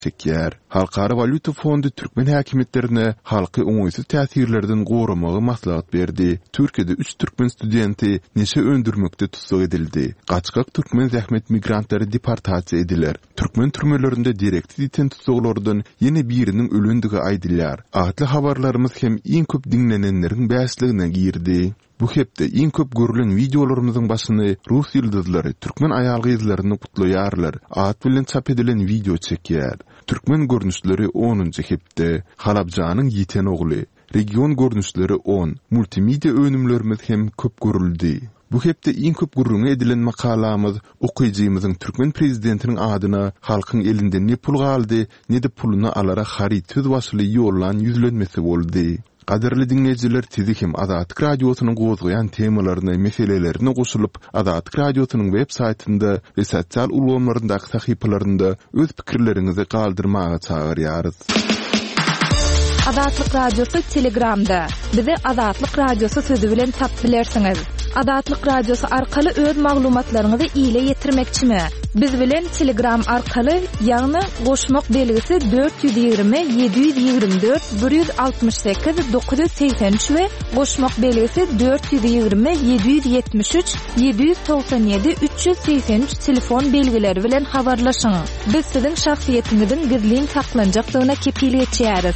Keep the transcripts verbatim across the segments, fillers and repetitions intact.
Çekýär. Halkara walýuta fondy türkmen häkimiýetlerine halky oňaýsyz täsirlerden goramagy maslahat berdi. Türkiýede üç türkmen studenti neşe öndürmekde tussag edildi. Gaçgak türkmen zähmet migrantlary deportasiýa ediler. Türkmen türmelerinde dereksiz ýiten tussaglardan ýene biriniň ölendigi aýdylýar. Atly habarlarymyz hem iň köp diňlenenleriň bäşligine girdi. Bu hepde iň köp görülen wideolarymyzyň başyny Rus ýyldyzlary türkmen aýal-gyzlaryny gutlaýarlar at bilen çap edilen wideo çekýär. Türkmen görnüşleri onunjy hepde, Halabjanyň ýiten ogly, Region görnüşleri on, Multimedia önümlerimiz hem köp görüldi. Bu hepde iň köp gürrüňi edilen makalamyz okyjymyzyň türkmen prezidentiniň adyna halkyň elinde ne pul galdy, ne-de puluny alara haryt söz başyly ýollan ýüzlenmesi boldy. Gadyrly diňleýjiler, sizi hem Azatlyk Radiosynyň gozgaýan temalaryna, meselelerine goşulyp, Azatlyk Radiosynyň web saýtynda we sosial ulgamlaryndaky sahypalarynda öz pikirleriňizi galdyrmaga çagyrýarys. Azatlyk Radiosy Telegramda. Bizi Azatlyk Radiosy sözi bilen tapyp bilersiňiz. Azatlyk Radiosy arkaly öz maglumatlaryňyzy ile ýetirmekçimi? Biz bilen Telegram arkaly, ýagny goşmak belgisi dört ýüz ýigrimi ýedi ýüz ýigrimi dört bir ýüz altmyş sekiz dokuz ýüz segsen üç we goşmak belgisi dört ýüz ýigrimi ýedi ýüz ýetmiş üç ýedi ýüz togsan ýedi üç ýüz segsen üç telefon belgileri bilen habarlaşyň. Biz siziň şahsyýetiňiziň gizlin saklanjakdygyna kepil geçýäris.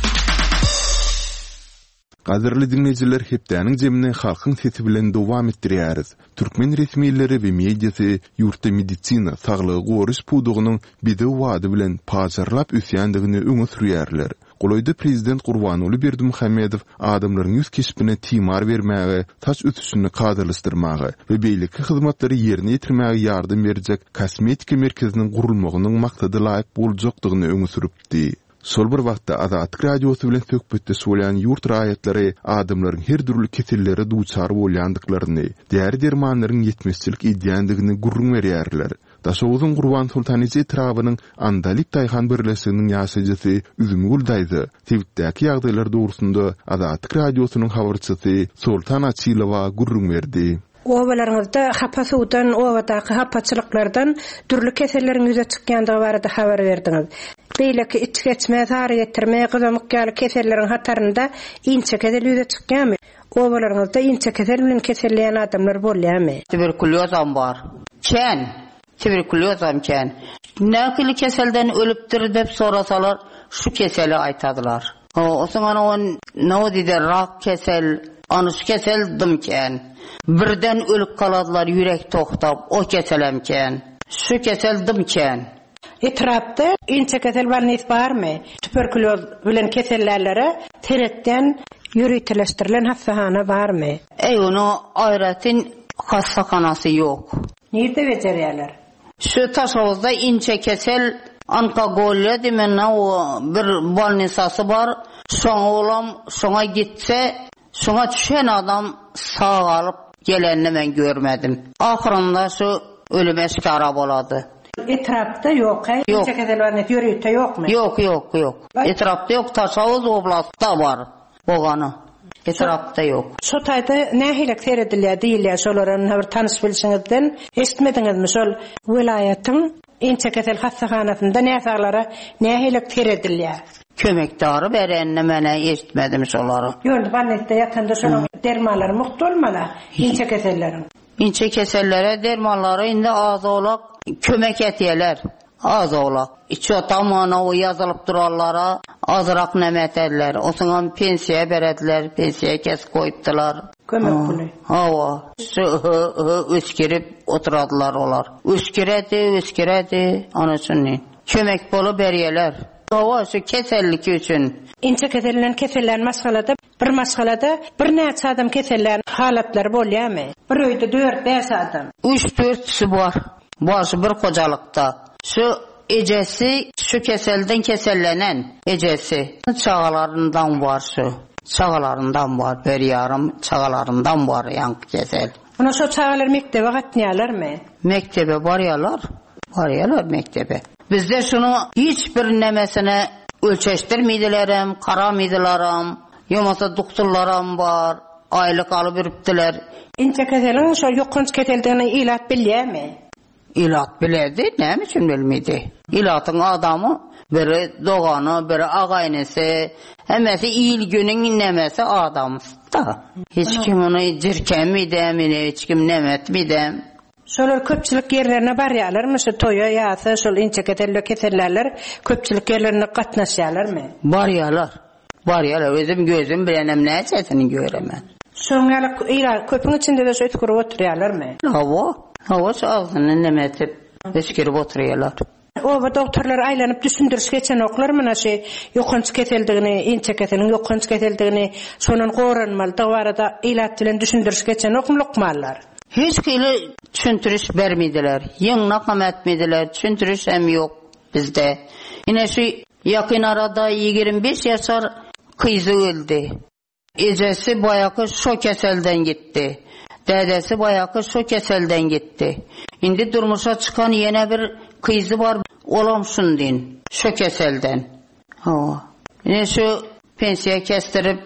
Gadyrly diňleýjiler, hepdäniň jemini halkyň sesi bilen dowam etdirýäris. Türkmen resmileri we mediasy ýurtda medisina, saglygy goraýyş pudagynyň bedew bady bilen pajarlap ösýändigini öňe sürýärler. Golaýda prezident Gurbanguly Berdimuhamedow adamlaryň ýüz keşbine timar bermäge, saç ösüşini kadalaşdyrmaga we beýleki hyzmatlary ýerine ýetirmäge ýardam berjek kosmetika merkeziniň gurulmagynyň maksada laýyk boljakdygyny öňe sürüpdi. Şol bir wagtda Azatlyk Radiosy bilen söhbetdeş bolýan ýurt raýatlary adamlaryň her dürli kesellere duçar bolýandyklaryny, däri-dermanlaryň ýetmezçilik edýändigini gürrüň berýärler. Daşoguzyň Gurbansoltan eje etrabynyň Andalyp daýhan birleşiginiň ýaşaýjysy Üzümgül daýza sebitdäki ýagdaýlar dogrusynda Azatlyk Radiosynyň habarçysy Soltan Açylowa gürrüň berdi. Obalaryňyzda hapa suwdan, obadaky hapaçylyklardan dürli keselleriň ýüze çykýandygy barada habar berdiňiz. Beýleki iç geçme, sary getirme, gyzamyk ýaly keselleriň hatarynda inçe kesel ýüze çykýarmy? Obalaryňyzda inçe kesel bilen keselleýän adamlar bolýarmy? Tuberkulyozam bar. Kän. Tuberkulyozam kän. Nähili keselden ölüpdir diýip sorasalar, şu keseli aýtadylar. O, onuň on, no diýdi, rak kesel, ony şu kesel dım kän. Birden ölüp galadylar, ýürek toktap, o keselem kän. Şu kesel dım kän. Etrapda inçe kesel bolnys barmy? Tuberkuloz bilen kesellärlere seretden ýöriteleşdirilen hassahana barmy? Ey, onu aýratyn hassahanasy ýok. Nirde bejerýärler? Şu Taşoguzda inçe kesel onkogolýa diýmen o bir bolnisasy bar. Şoňa olam, şoňa gitse, şoňa düşen adam sag alyp gelenini men görmedim. Ahyrynda şu ölüme şikara bolady. Etrapda ýok, he? Ýok. Inçe kesel bolnysy ýörite ýokmy? Ýok, ýok, ýok. Etrapda ýok, Taşoguz oblastda bar. Bogany. Etrapda ýok. Şu taýda nähili seredilýär diýilýär, şolara bir tanyş bilşiňizden eşitmediňizmi şol welaýatyň inçe kesel hassahanasynda näsaglara nähili seredilýär? Kömekdary berenini men eşitmedim şolary. Ýöne bolnisda ýatanda şonuň dermanlary mugt bolmaly inçe keselleriň. Inçe kesellere dermanlary indi az olak kömek etýärler. Az olak. Içi otamana o ýazylyp duranlara azrak näme ederler. Osuňam pensiýa berediler, pensiýa kes goýupdylar. Kömek puly. Hawa. Şu hı, hı, öskürip oturadylar olar. Ösküredi, ösküredi. Ana şunu. Kömek pulu berýärler. Hawa, şu kesellik üçin. Inçe keselinden kesellen maşgalada, bir maşgalada bir näçe adam kesellen halatlar bolýarmy? Bir öýde dört bäş adam. Üç dört bar. Bar şu bir hojalykda. Şu ejesi şu keselden kesellenen ejesi. Çagalaryndan bar şu. Çagalaryndan bar, bir yarım çagalaryndan bar yankı kesel. Ona şu çagalar mektebe gatnaýarlarmy? Mektebe barýarlar. Barýarlar mektebe. Bizde şunu hiç bir nemesine ölçeşdirmeydilerim, karamıydılarım. Yomasa doktorlarım bar, aylık alıp ürüptiler. Inçe keseliň şo ýokanç keseldigini ilat bilýärmi? Ilat biledi, näme üçin bilmedi? Ilatyň adamy Biri dogany, biri agaýnesi, hemmesi il günüň nemesi adamsy-da. Hiç kim ony jirkemidem, hiç kim nemetmidem. Şolar köpçülik ýerlerine barýarlarmy, şu toýa ýa-da şol inçekeselle kesellerler köpçülik ýerlerine gatnaşýarlarmy? Barýarlar. Barýarlar. Özüm gözüm bilenem näçesini göremen. Şoň ýaly ýa köpüň içinde de şu ösgürip oturýarlarmy? Hawa, hawa şu agzyny nemetip ösgürip oturýarlar. Oba doktorlar aýlanyp düşündiriş geçenoklar mına şu ýokanç keseldigini, inçekeseliň ýokanç keseldigini, şonun goranmalydygy barada ilat bilen düşündiriş geçenokmy lukmanlar? Hiç hili düşündiriş bermediler. Ýygnak hem etmediler. Düşündiriş hem ýok bizde. Ine şu ýakyn arada ýigrimi beş ýaşar kyzy öldi. Ejesi baýaky şo keselden gitdi. Dädesi baýaky şo keselden gitdi. Indi durmuşa çykan ýene bir kyzy bar, olam şundin, şo keselden. Ha. Ine şu pensiýa kesdirip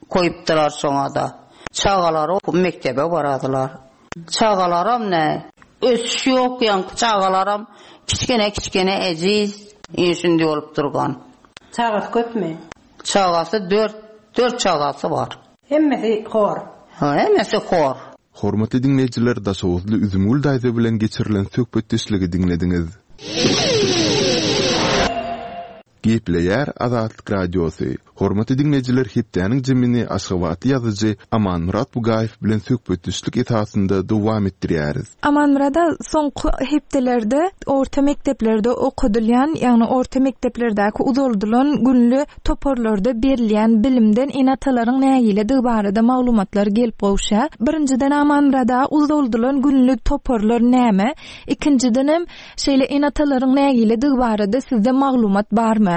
koýupdylar şoňa da. Çagalary mektebe baradylar. Çagalaram ne? Ösüş ýok, ýaňky çagalaram kiçkene kiçkene ejiz, işinde bolup durgan. Çagasy köpmi? Çagasy dört, dört çagasy bar. Hemmesi hor. Ha, hemmesi hor. Hormatly diňleýjiler, Daşoguzly Üzümgül daýza bilen geçirilen söhbetdeşligi diňlediňiz. Gepleýär Azatlyk Radiosy. Hormatly diňleýjiler, hepdäniň jemini Aşgabatly ýazyjy Amanmyrat Bugaýew bilen söhbetdeşlik esasynda dowam etdirýäris. Amanmyrada soňky hepdelerde orta mekdeplerde okadylýan, ýagny orta mekdeplerdäki uzaldylan günlü toparlarda berilýän bilimden ene-atalaryň nägiledigi barada maglumatlar gelip gowşýar. Birinjiden Amanmyrada uzaldylan günlü toparlar näme? Ikinjiden hem şeýle ene-atalaryň nägiledigi barada sizde maglumat barmy?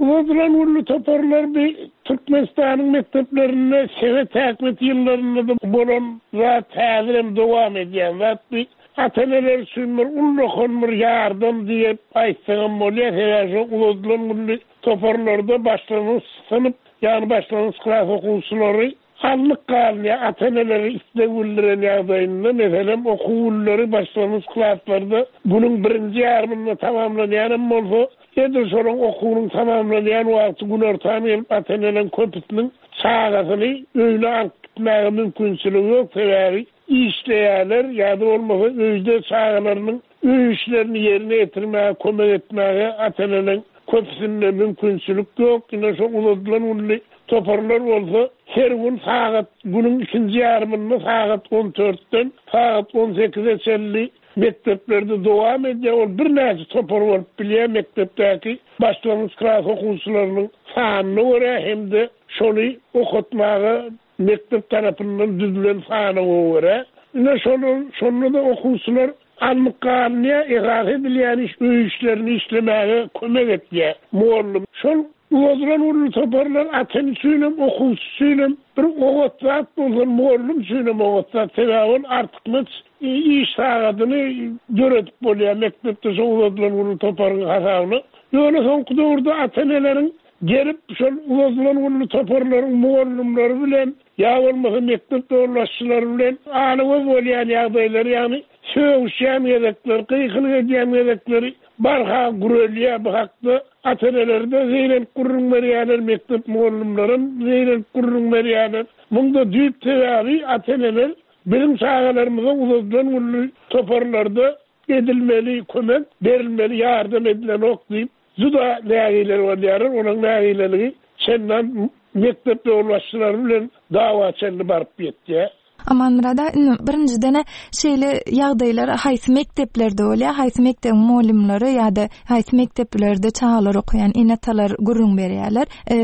Uzadylan günlü toparlar bir Türkmenistanyň mekdeplerinde sowet häkimiýeti ýyllarynda da bolan zat häzir hem dowam edýän zat bir ata-eneler üçin bir ullakan bir ýardam diýip aýtsam bolýar. Sebäbi şo uzadylan günlü toparlarda başlangyç synp, ýagny başlangyç klas okuwçylary alnyp galýar. Ata-eneleri isleg bildiren ýagdaýynda, meselem, okuw günleri başlangyç klaslarda günüň birinji ýarymynda tamamlanýan hem bolsa, edil şonuň okuwynyň tamamlanýan wagty günortan gelip ata-eneleriň köpüsiniň çagasyny öýüne alyp gitmäge mümkinçiligi ýok. Sebäbi işleýärler ýa-da bolmasa öýde çagalarynyň öý işlerini ýerine ýetirmäge, kömek etmäge ata-eneleriň köpüsinde mümkinçilik ýok. Ine şo uzadylan günli toparlar bolsa her gün sagat günüň ikinji ýarymynda sagat on dörtden sagat on sekize çenli mekdeplerde dowam edýär. Ol birnäçe topar bolup bilýär mekdepdäki başlangyç klas okuwçylarynyň sanyna görä hem-de şony okatmaga mekdep tarapyndan düzülen sanyna görä. Ine şonun, şonda da okuwçylar alnyp galynýar, esas edilýän iş öý işlerini işlemäge kömek etýär. Mugallym şol uzadylan günlü toparlar ata-ene üçin hem, okuwçy üçin hem bir oňat zat bolsa, mugallym üçin hem oňat zat. Sebäbi ol artykmaç iş sagadyny döredip bolýar mekdepde şo uzadylan günlü toparyň hasabyna. Ýöne soňky döwürde ata-eneleriň gelip şol uzadylan günlü toparlaryň mugallymlary bilen ýa bolmasa mekdep ýolbaşçylary bilen alyp bolýan ýagdaýlary, ýagny sögüşýän gezekler, gykylyk edýän gezekleri barha gürelýär. Bu hakda ata-eneler-de zeýrenip gürrüň berýärler, mekdep mugallymlaram zeýrenip gürrüň berýärler. Munda düýp sebäbi ata-eneler biziň çagalarymyza uzadylan günlü toparlarda edilmeli kömek, berilmeli ýardam edilenok diýip juda nägiler bolýarlar. Onuň nägileligi çendan mekdep ýolbaşçylary bilen dawa çenli baryp ýetýär. Amanmyrada, indi birinjiden şeýle ýagdaýlar haýsy mekdeplerde bolýar, haýsy mekdebiň mugallymlary ýa-da haýsy mekdeplerde çagalar okaýan ene-atalar gürrüň berýärler. E,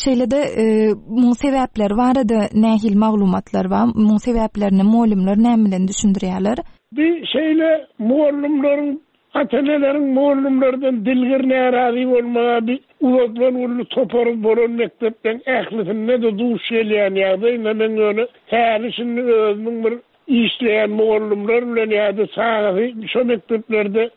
şeýle-de, e, muň sebäpleri barada nähili maglumatlar bar? Muň sebäplerini mugallymlar näme bilen düşündirýärler? Bir şeýle mugallymlaryň, ata-eneleriň mugallymlardan dilgir närazy bolmagy bir uzadylan günlü topary bolan mekdepden ählisinde de duş gelýän ýagdaý. Men ýöne häli şindi özümiň bir işleýän mugallymlar bilen ýa-da çagasy şo mekdeplerde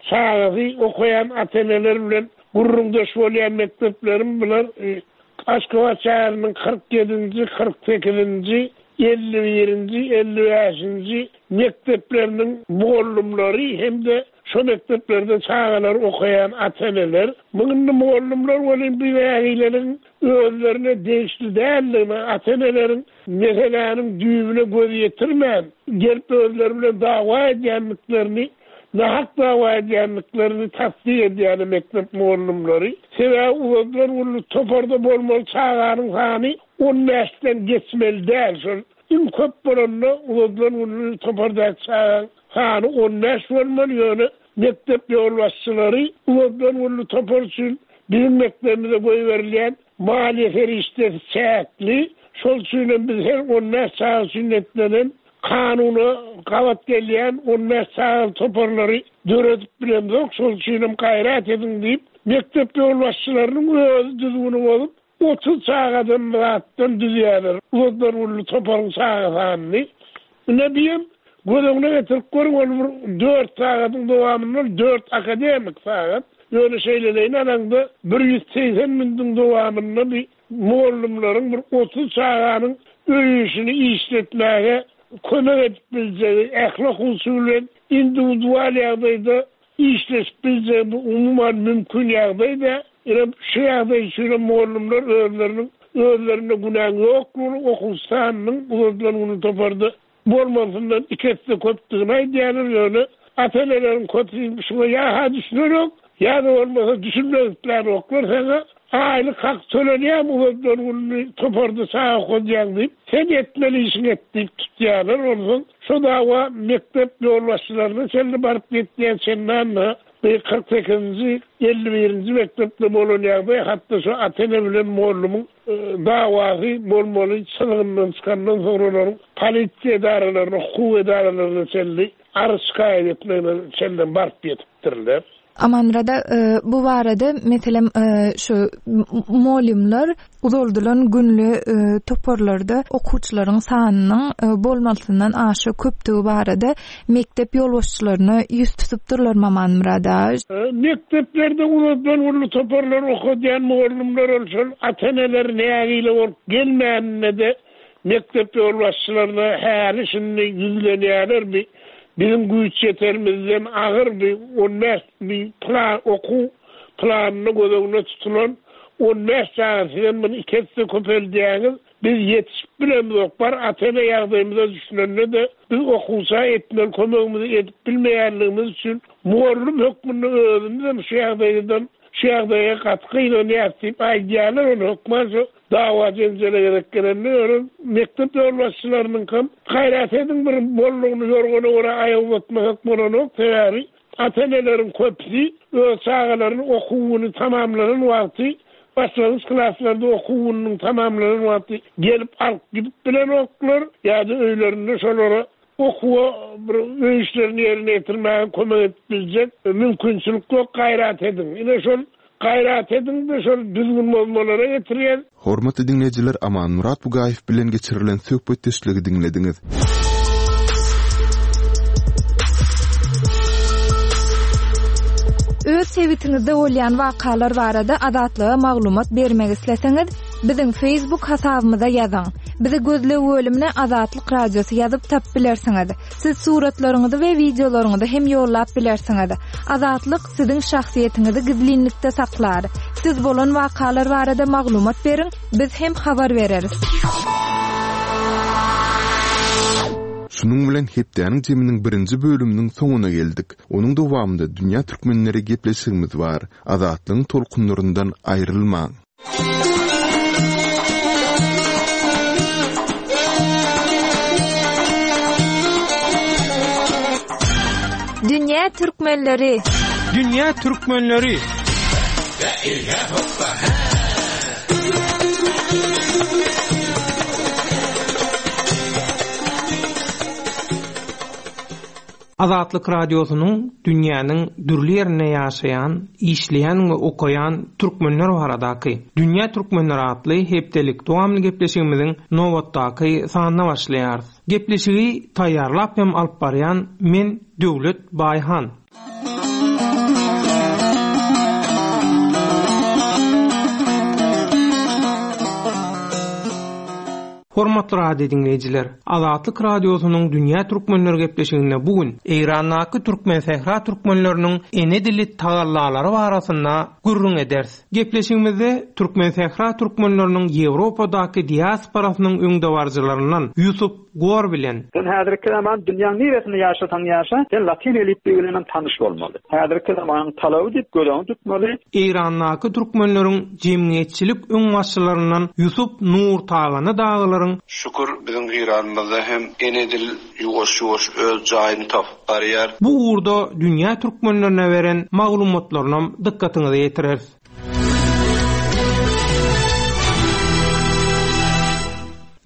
çagasy okaýan ata-eneler bilen gürrüňdeş bolýan mekdeplerim bular, e, Aşgabat şäheriniň kyrk ýedinji, kyrk sekizinji, elli birinji, elli bäşinji mekdepleriniň mugallymlary hem-de şo mekdeplerde çagalar okaýan ata-eneler. Muňa mugallymlar welin bir nägileligiň özlerine degişli däldigini, ata-eneleriň meseläniň düýbüne göz ýetirmän, gelip özleri bilen dawa edýändiklerini, nahak dawa edýändiklerini tasdik edýän mekdep mugallymlary. Sebäbi uzadylan günlük toparda bolmaly çaganyň sany on bäşden geçmeli däl. Şol iň köp bolanda uzadylan günlük topardaky çagaň sany on bäş bolmaly, ýöne mekdep ýolbaşçylary uzadylan günlük topar üçin biziň mekdebimize goýberilýän maliýe serişdesi çäkli. Şol üçin hem biz her on bäş çaga üçin niýetlenen kanuna gabat gelýän on bäş çagaly toparlary döredip bilemzok. Şol üçin hem gaýrat ediň diýip, mekdep ýolbaşçylarynyň özi düzgüni bozup, otuz çagadan zatdan düzýärler. Uzadylan günlük toparyň çaga sanyny. Ine diýem, göz öňüne getirip görüň, ol bir dört sagatyň dowamynda dört akademik sagat. Ýöne şeýleleýin alaňda bir ýüz segsen minutiň dowamynda bir mugallymlaryň bir otuz çaganyň öý işini işletmäge kömek edip biljegi, ähli okuwçy bilen individual ýagdaýda işleşip biljegi bu umuman mümkin ýagdaýda. Ine şu ýagdaý üçin mugallymlar özleriniň özlerinde günäň ýoklugyny, okuwçy sanynyň uzadylan günlük toparda bolmasyndan iki esse köpdügini aýdýarlar. Ýöne ata-eneleriň köpüsi şuňa ýa-ha düşünerok, ýa-da bolmasa düşünmek islänoklar. Saňa aýlyk hak tölenýär, uzadylan günlük toparda çaga okadýaň diýip, sen etmeli işiňi et diýip tutýarlar. Onsoň şo dawa mekdep ýolbaşçylaryna çenli baryp ýetýän çendan-da bir kyrk sekizinji, elli birinji mekdepde bolan ýagdaý, hatda şu ata-ene bilen mugallymyň, e, dawasy bolmaly çyzgyndan çykandan soň olaryň polisiýa edaralaryna, hukuk edaralaryna çenli arz şikaýat etmegine çenli baryp ýetipdirler. Amanmurada, e, bu barada meselem, e, şu mugallymlar uzaldylan günlü, e, toparlarda okuwçylaryň sanynyň, e, bolmasyndan aşa köpdügi barada mekdep ýolbaşçylaryna ýüz tutupdyrlar Amanmurada. E, mekdeplerde uzadylan günlük toparlar okadýan mugallymlar ol şol ata-eneler nägile bolup gelmänine-de mekdep ýolbaşçylaryna häli şindi ýüzlenýärler. Bir biziň güýç ýeterimizden agyr bir on bäş bir plan, okuw planyny göz öňüne tutulan on bäş çaga sizem bunu iki esse köpeldýäňiz. Biz ýetişip bilemzok, bar ata-ene ýagdaýymyza düşünende-de biz okuwça etmeli kömegimizi edip bilmeýänligimiz üçin mugallym hökmünde özümiz hem şu ýagdaýdan, şu ýagdaýa gaty gynanýarys diýip aýdýarlar. Ony hökman şu dawa jenjele gerek gelende ýöne mekdep ýolbaşçylarynyňkam gaýrat ediň bir bollugyny ýorgana görä aýak uzatmasak bolanok. Sebäbi ata-eneleriň köpüsi öz çagalaryny okuwyny tamamlanan wagty, başlangyç klaslarda okuwynyň tamamlanan wagty gelip alyp gidip bilenoklar ýa-da öýlerinde şolara okuwa bir öý işlerini ýerine ýetirmäge kömek edip biljek mümkinçilik ýok. Gaýrat ediň. Ine şol gaýrat ediň de şol düzgün bozmalara getirýär. Hormatly diňleýjiler, Amanmurad Bugaýew bilen geçirilen söhbetdeşligi diňlediňiz. Öz sebitiňizde bolýan wakalar barada Azatlyga maglumat bermek isleseňiz, biziň Facebook hasabymyza ýazyň. Bizi gözleg bölümine Azatlyk Radiosy ýazyp tap bilersiňiz. Siz suratlaryňyzy we wideolaryňyzy hem ýollap bilersiňiz. Azatlyk siziň şahsyýetiňizi gizlinlikde saklar. Siz bolan wakalar barada maglumat beriň, biz hem habar bereris. Şunuň bilen hepdäniň jeminiň birinji bölüminiň soňuna geldik. Onuň dowamynda Dünýä Türkmenleri gepleşigimiz bar. Azatlygyň tolkunlaryndan aýrylmaň. Dünýä Türkmenleri. Dünýä Türkmenleri. Azatlyk Radiosynyň dünýäniň dürli ýerinde ýaşaýan, işleýän we okaýan türkmenler baradaky Dünýä Türkmenleri atly hepdelik dowamly gepleşigimiziň nobatdaky sanyna başlaýarys. Gepleşigi taýýarlap hem alyp barýan men Döwlet Baýhan. Hormatly radio dinleýjiler, Azatlyk radiosynyň Dünýä Türkmenleri gepleşiginde bu gün Eýrandaky Türkmen Sähra türkmenleriniň ene dili tagallalary barasynda gürrüň ederis. Gepleşigimizde Türkmen Sähra türkmenleriniň Ýewropadaky diasporasynyň öňdebaryjylaryndan Ýusup Gor bilen Sen häzirki zaman dünýäň niresinde ýaşasaň ýaşa, sen latyn elipbiýi bilen tanyş bolmaly. Häzirki zamanyň talaby diýip gözüňi tutmaly. Eýrandaky türkmenleriň jemgyýetçilik öňbaşçylaryndan Ýusup Nur Tagany daglaryň Şükür biziň Eýranymyzda hem ene dil ýuwaş-ýuwaş öz jaýyny tapyp barýar. Bu ugurda dünýä türkmenlerine beren maglumatlaryny dykgatyňyza ýetireris.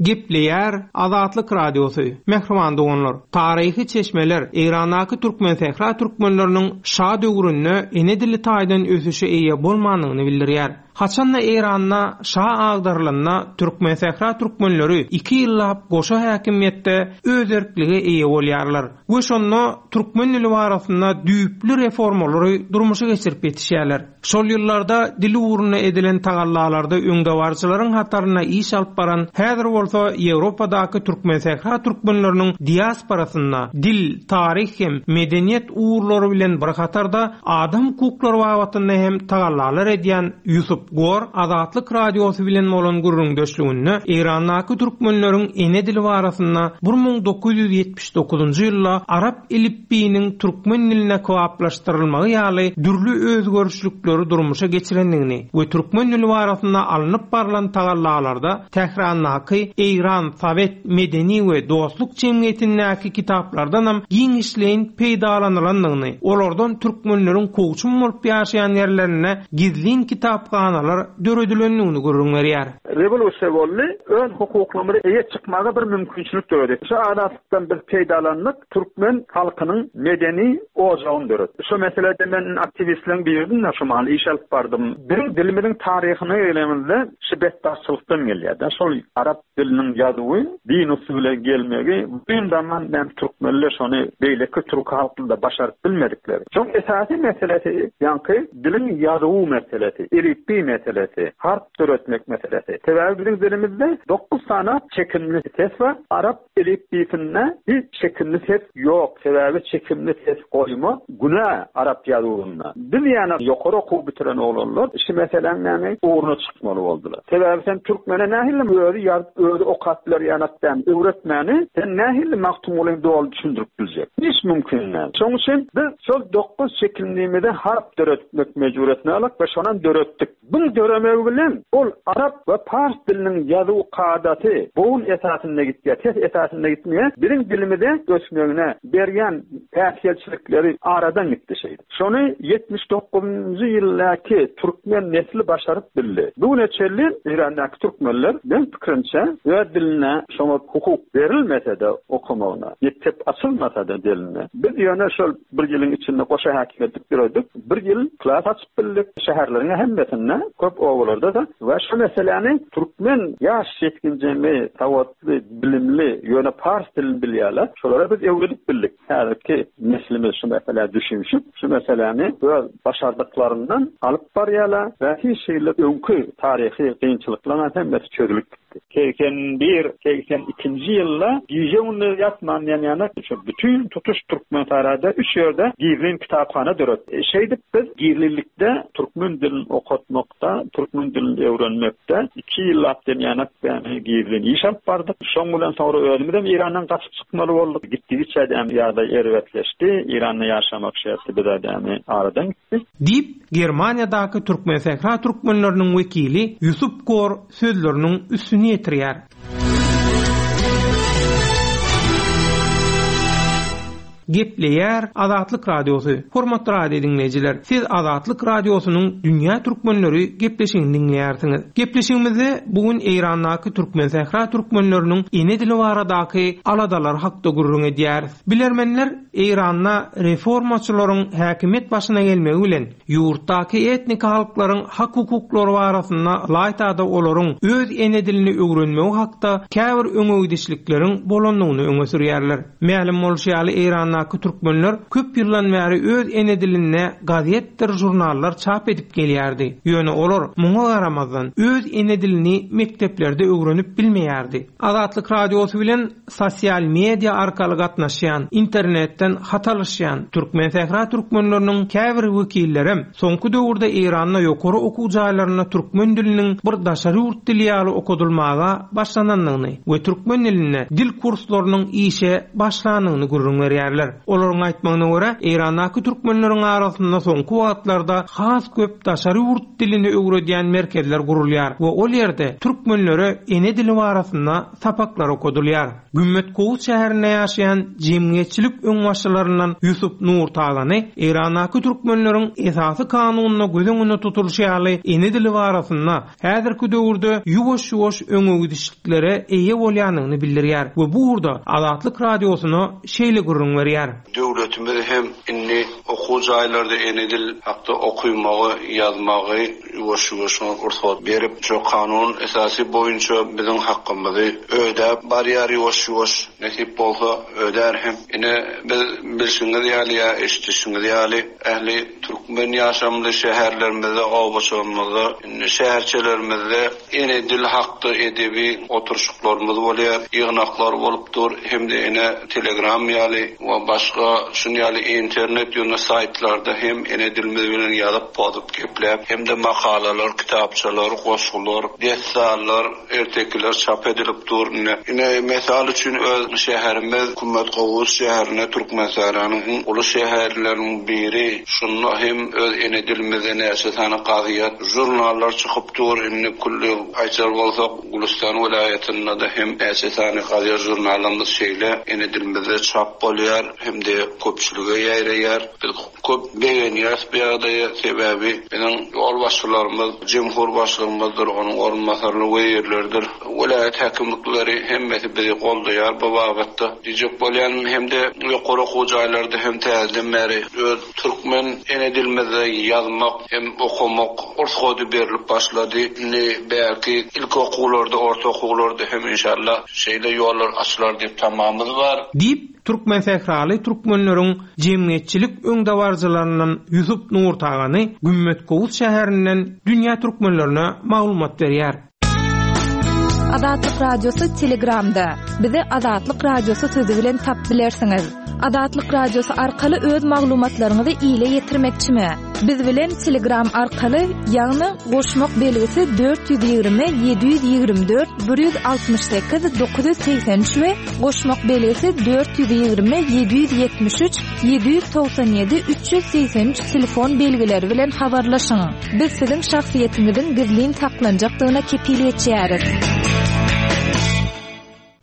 Gepleýär Azatlyk Radiosy. Mehriban doganlar, taryhy çeşmeler Eýrandaky Türkmen Sähra türkmenleriniň şa döwründe ene dili taýdan ösüşe eýe bolmandygyny bildirýär. Haçanda Eýranda şa agdarylanda Türkmen Sähra türkmenleri iki ýyllap goşa häkimiýetde özerklige eýe bolýarlar we şonda türkmen dili barasynda düýpli reformalary durmuşa geçirip ýetişýärler. Şol ýyllarda dil ugruna edilen tagallalarda öňdebaryjylaryň hataryna iş alyp baran, häzir bolsa Ýewropadaky Türkmen Sähra türkmenleriniň diasporasynda dil, taryh hem medeniýet ugurlary bilen bir hatarda adam hukuklary babatynda hem tagallalar edýän Ýusup Gor Azatlyk Radiosy bilen bolan gürrüňdeşliginde Eýrandaky türkmenleriň ene dili barasynda bir müň dokuz ýüz ýetmiş dokuzynjy ýylda arap elipbiýiniň türkmen diline kybaplaşdyrylmagy ýaly dürli özgerişlikleri durmuşa geçirendigini we türkmen dili barasynda alnyp barylan tagallalarda Tährandaky Eýran Sowet Medeni we Dostluk Jemgyýetindäki kitaplardanam giňişleýin peýdalanylandygyny, olardan türkmenleriň kowçum bolup ýaşaýan ýerlerinde gizlin kitaphanalar döredilendigini gürrüň berýär. Rewolýusiýa boldy, öz hukuklarymyzy eýe çykmaga bir mümkinçilik döredi. Şu adalatdan biz peýdalandyk, türkmen halkynyň medeni ojagyny döretdi. Şu meselede men aktiwistleriň biridim, şu mahal iş alyp bardym. Biziň dilimiziň taryhyny öwrenmemizde şu betbagtçylykdan gelýär. Şol arap diliniň ýazuwy din usuly bilen gelmegi, bu zaman men türkmenler şony beýleki türk halkynda başaryp bilmedikleri. Şoň esasy meselesi ýaňky diliň ýazuwy meselesi, elipbiý meselesi, harp döretmek meselesi. Sebäbi biziň dilimizde dokuz sany çekimli ses bar. Arap elipbiýsinde hiç çekimli ses ýok. Sebäbi çekimli ses goýma günä arap ýazuwynda. Biz ýana ýokary okuw bitiren oglanlar şu meseläň näme ugruna çykmaly boldular. Sebäbi sen türkmene nähili özi ýazyp, özi okap biler ýanakdan öwretmäni sen nähili Magtymgulyny doly düşündirip biljek? Hiç mümkin däl. Şonuň üçin biz şol dokuz çekimlimize harp döretmek mejburyýetine alyp we şondan döretdik. Buň döremegi bilen ol arap we pars diliniň ýazuw kadasy bogun esasynda gitýär, ses esasynda gitmeýär. Biziň dilimize ösmegine berýän päsgelçilikleri aradan gitdi şeýdip. Şony ýetmiş dokuzynjy ýyldaky türkmen nesli başaryp bildi. Bu güne çenli Eýrandaky türkmenler men pikirimçe öz diline şoňa hukuk berilmese de okamagyna, mekdep açylmasa da diline. Biz ýöne şol bir ýylyň içinde goşa häkimiýet döretdik. Bir ýyl klas açyp bildik. Şäherleriň hemmesinde, köp obalarda da we şu meseläni türkmen ýaş ýetginjegi, sawatly, bilimli, ýöne pars dilini bilýärler. Şolara biz öwredip bildik. Häzirki neslimiz şu meselä düşünşüp, şu meseläni öz başardyklaryndan alyp barýarlar we hiç şeýle öňki taryhy kynçylyklaryň hemmesi çözülip gitdi. Seksen bir, seksen ikinji ýylda gije gündüz ýatman ýan-ýana şu bütün tutuş Türkmen sarayda üç ýerde gizlin kitaphana döretdi. Şeýdip biz gizlilikde türkmen dilini okatmakda, türkmen dilini öwrenmekde iki ýyllap ýan-ýana gizlin iş alyp bardyk. Şoň bilen soňra özümiz hem Eýrandan gaçyp çykmaly bolduk. Gitdigiçe hem ýagdaý erbetleşdi. Eýranda ýaşamak şerti bize dämi aradan gitdi. Diýip, Germaniýadaky Türkmen Sähra türkmenleriniň wekili Ýusup Gor sözleriniň üstüni ýetirýär. Gepleýär Azatlyk Radiosy. Hormatly radio dinleýjiler, siz Azatlyk Radiosynyň Dünýä Türkmenleri gepleşigini dinleýärsiňiz. Gepleşigimizde bu gün Eýrandaky Türkmen Sähra türkmenleriniň ene dili baradaky aladalar hakda gürrüň edýäris. Bilermenler Eýranda reformaçylaryň häkimiýet başyna gelmegi bilen ýurtdaky etnik halklaryň hak hukuklary barasynda laýtada olaryň öz ene dilini öwrenmegi hakda käbir öňegidişlikleriň bolandygyny öňe sürýärler. Mälim bolşy ýaly Eýranda Eýrandaky türkmenler köp ýyldan bäri öz ene dilinde gazetdir žurnallar çap edip gelýärdi. Ýöne olar muňa garamazdan öz ene dilini mekdeplerde öwrenip bilmeýärdi. Azatlyk Radiosy bilen sosial media arkaly gatnaşýan, internetden hat alyşýan Türkmen sähra türkmenleriniň käbir wekillerem soňky döwürde Eýranda ýokary okuw jaýlarynda türkmen diliniň bir daşary ýurt dili ýaly okadylmaga başlanandygyny we türkmen dilinde dil kurslarynyň işe başlandygyny gürrüň berýärler. Olaryň aýtmagyna görä, Eýrandaky türkmenleriň arasynda soňky wagtlarda has köp daşary ýurt dilini öwredýän merkezler gurulýar we ol ýerde türkmenlere ene dili barasynda sapaklar okadylýar. Gümmet Kowus şäherinde ýaşaýan jemgyýetçilik öňbaşçylaryndan Ýusup Nurtagany Eýrandaky türkmenleriň esasy kanunyna göz öňünde tutulyşy ýaly ene dili barasynda häzirki döwürde ýuwaş-ýuwaş öňe gidişliklere eýe bolýandygyny bildirýär we bu ugurda Azatlyk Radiosyna şeýle gürrüň berýär. Döwletimiz hem indi okuw jaýlarda ene dil hakda okumagy, ýazmagy ýuwaş-ýuwaş rugsat berip, şu kanun esasy boýunça biziň hakkymyzy ödäp barýar ýuwaş-ýuwaş nesip bolsa ödär hem. Ine biz bilşiňiz ýaly ýa eşidişiňiz ýaly ähli türkmen ýaşamly şäherlerimizde, obaçlarymyzda, indi şäherçelerimizde ene dil hakda edebi oturşyklarymyz bolýar, ýygnaklar bolup dur, hem-de ene Telegram ýaly we başga şun ýaly internet ýöne saýtlarda hem ene dilimiz bilen ýazyp, pozup, gepläp, hem-de makalalar, kitapçalar, goşgular, dessanlar, ertekiler çap edilip dur. Ine, ine mesal üçin öz şäherimiz Kümmet Kowus şäherine Türkmenistanyň iň uly şäherleriniň biri. Şunda hem öz ene dilimizde näçe sany gazet, jurnallar çykyp dur. Indi külli aýtjak bolsak, Gülistan welaýatynda da hem näçe sany gazet, jurnallarymyz şeýle ene dilimizde çap bolýar, hem-de köpçülige ýaýraýar. Biz köp begenýäs bu ýagdaýa, sebäbi biziň ýolbaşçylarymyz, jemhur başlygymyzdyr, onuň orunbasarlary, wezirlerdir, welaýat häkimlikleri hemmesi bizi goldaýar bu babatda. Diýjek bolýan hem-de ýokary okuw jaýlarda hem täzeden bäri öz türkmen ene dilimizde ýazmak hem okamak rugsady berilip başlady. Indi belki ilk okuwlarda, orta okuwlarda hem inşallah şeýle ýollar açylar diýip tamamymyz bar. Diýip Türkmen sähraly türkmenleriň jemgyýetçilik öňdebaryjylaryndan Ýusup Nurtagany Gümmet Kowus şäherinden dünýä türkmenlerine maglumat berýär. Azatlyk Radiosy Telegramda. Bizi Azatlyk Radiosy sözi bilen tap bilersiňiz. Azatlyk Radiosy arkaly öz maglumatlaryňyzy ile ýetirmekçimi? Biz bilen Telegram arkaly, ýagny goşmak belgisi dört ýüz ýigrimi ýedi ýüz ýigrimi dört bir ýüz altmyş sekiz dokuz ýüz segsen üç we goşmak belgisi dört ýüz ýigrimi ýedi ýüz ýetmiş üç ýedi ýüz togsan ýedi üç ýüz segsen üç telefon belgileri bilen habarlaşyň. Biz siziň şahsyýetiňiziň gizlin saklanjakdygyna kepil geçýäris.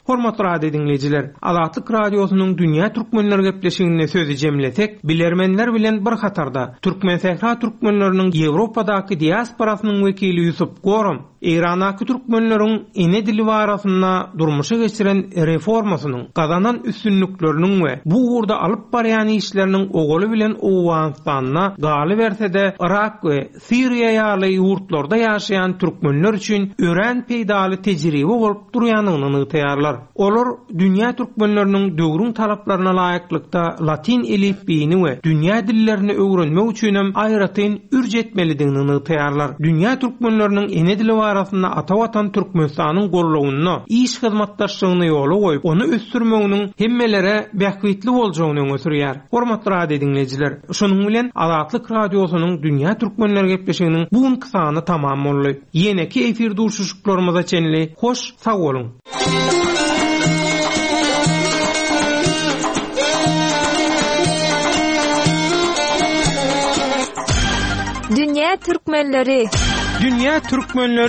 Hormatly radio dinleýjiler, Azatlyk Radiosynyň Dünýä Türkmenler gepleşiginde sözi jemlesek, bilermenler bilen bir hatarda Türkmen sähra türkmenleriniň Ýewropadaky diasporasynyň wekili Ýusup Gorom, Eýrandaky türkmenleriň ene dili barasynda durmuşa geçiren reformasynyň, gazanan üstünlikleriniň we bu ugurda alyp barýan işleriniň ogaly bilen Owganystanda galyberse-de Irak we Siriýa ýaly ýurtlarda ýaşaýan türkmenler üçin örän peýdaly tejribe bolup durýandygyny nygtaýarlar. Olar dünýä türkmenleriniň döwrüň talaplaryna laýyklykda latin elipbiýini we dünýä dillerini öwrenmek üçin hem aýratyn ürç etmelidigini nygtaýarlar. Dünýä türkmenleriniň ene dili barasynda ata watan Türkmenistanyň gollawynda iş hyzmatdaşlygyny ýola goýup, ony ösdürmeginiň hemmelere bähbitli boljagyny öňe sürýär. Hormatly radio dinleýjiler, şonuň bilen Azatlyk Radiosynyň Dünýä Türkmenler gepleşiginiň bu günki sany tamam boldy. Ýeneki efir duşuşyklarymyza çenli hoş sag boluň. Dünýä Türkmenleri. Dünýä Türkmenleri.